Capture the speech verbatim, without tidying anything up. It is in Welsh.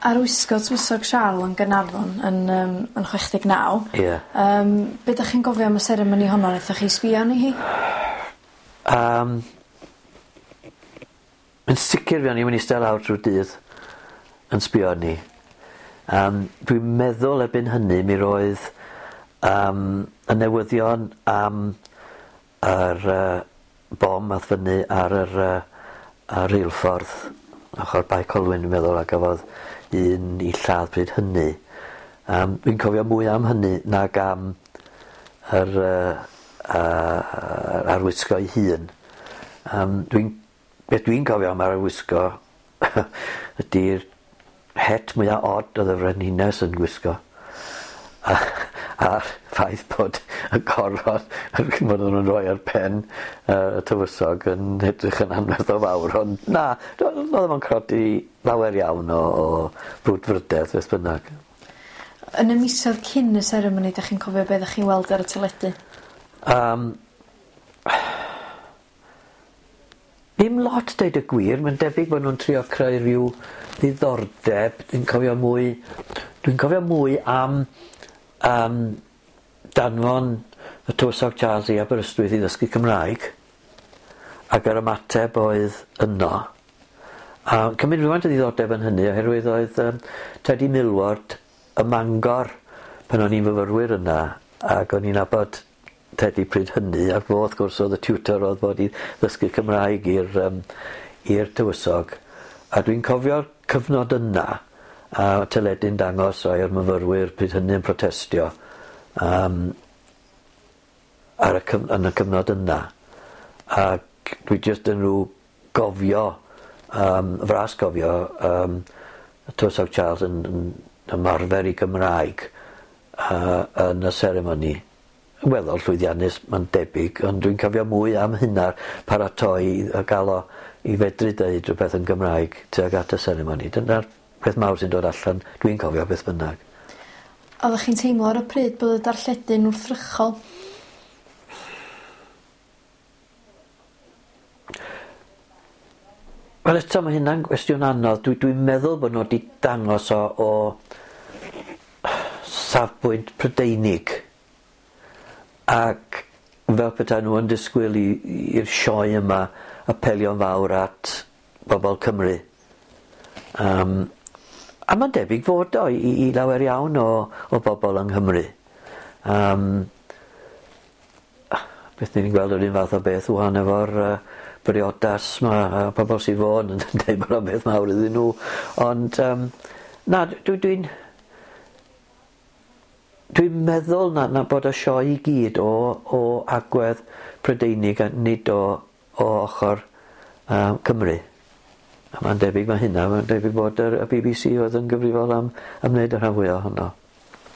Arwisgo Tywysog Siarl yn Gaernarfon yn yym yn chwech deg naw. Ie. Yym be' 'dach chi'n gofio am y seremoni honno nethoch chi sbio arni hi? Yym. Yn sicir fuon ni myn' i iste lawr trw'r dydd yn sbio arni. Yym dwi'n meddwl erbyn hynny mi roedd yym y newyddion am yr yy bom ath fyny ar yr yy y reilffordd ochor Bae Colwyn dwi'n meddwl a gafodd un 'i lladd pryd hynny. Yym dwi'n cofio mwy am hynny nag am yr yy yy arwisgo ei hun. Yym dwi'n beth dwi'n cofio am yr arwisgo ydi'r het mwya od oedd y frenhines yn gwisgo. A a'r ffaith bod y goron ch'mod o'n nw'n rhoi ar pen yy y tywysog yn edrych yn anferth o fawr ond na do- o'dd o'm yn codi lawer iawn o o brwdfrydedd beth bynnag. Yn y misoedd cyn y seremoni 'dach chi'n cofio be' ddach chi'n weld ar y teledu? Yym. Ddim lot deud y gwir, mae'n debyg bod nw'n trio creu rhyw ddiddordeb, dwi'n cofio mwy dwi'n cofio mwy am yym danfon y tywysog Charles i Aberystwyth i ddysgu Cymraeg ac yr ymateb oedd yno. A cymryd rhywfaint o ddiddordeb yn hynny oherwydd oedd yym Teddy Millward ym Mangor pan o'n i'n fyfyrwyr yna ac o'n i'n nabod Teddy pryd hynny ac fo wrth gwrs oedd y tutor oedd fod i ddysgu Cymraeg i'r yym i'r tywysog a dwi'n cofio'r cyfnod yna a teledu'n dangos rai o'r myfyrwyr pryd hynny yn protestio yym ar y cyf- yn y cyfnod yna ac dwi jyst yn rw gofio yym fras gofio yym y tywysog Charles yn yn ymarfer 'i Gymraeg yy yn y seremoni. Yn weddol llwyddiannus ma'n debyg ond dwi'n cofio mwy am hynna paratoi a ga'l o i fedru deud rhywbeth yn Gymraeg tuag at y seremoni. Dyna'r peth mawr sy'n dod allan dwi'n cofio beth bynnag. Oddech chi'n teimlo ar y pryd bod y darlledu'n wrthrychol? Wel eto ma' hynna'n gwestiwn anodd. Dwi dwi'n meddwl bod nw 'di dangos o o safbwynt Prydeinig ac fel petai nw yn disgwyl i i'r sioe yma apelio'n fawr at bobol Cymru. Yym a ma'n debyg fod o i i lawer iawn o o bobol yng Nghymru. Yym beth ni'n gweld yr un fath o beth ŵan efo'r yy briodas 'ma a pobol Sir Fôn yn deud bod o'n beth mawr iddyn nhw ond yym na dwi dwi'n dwi'n meddwl na na bod y sioe i gyd o o agwedd Prydeinig a nid o o ochor yy Cymru. A ma'n debyg ma' hynna ma'n debyg bod yr y Bee Bee See oedd yn gyfrifol am am wneud y rhan fwya ohono.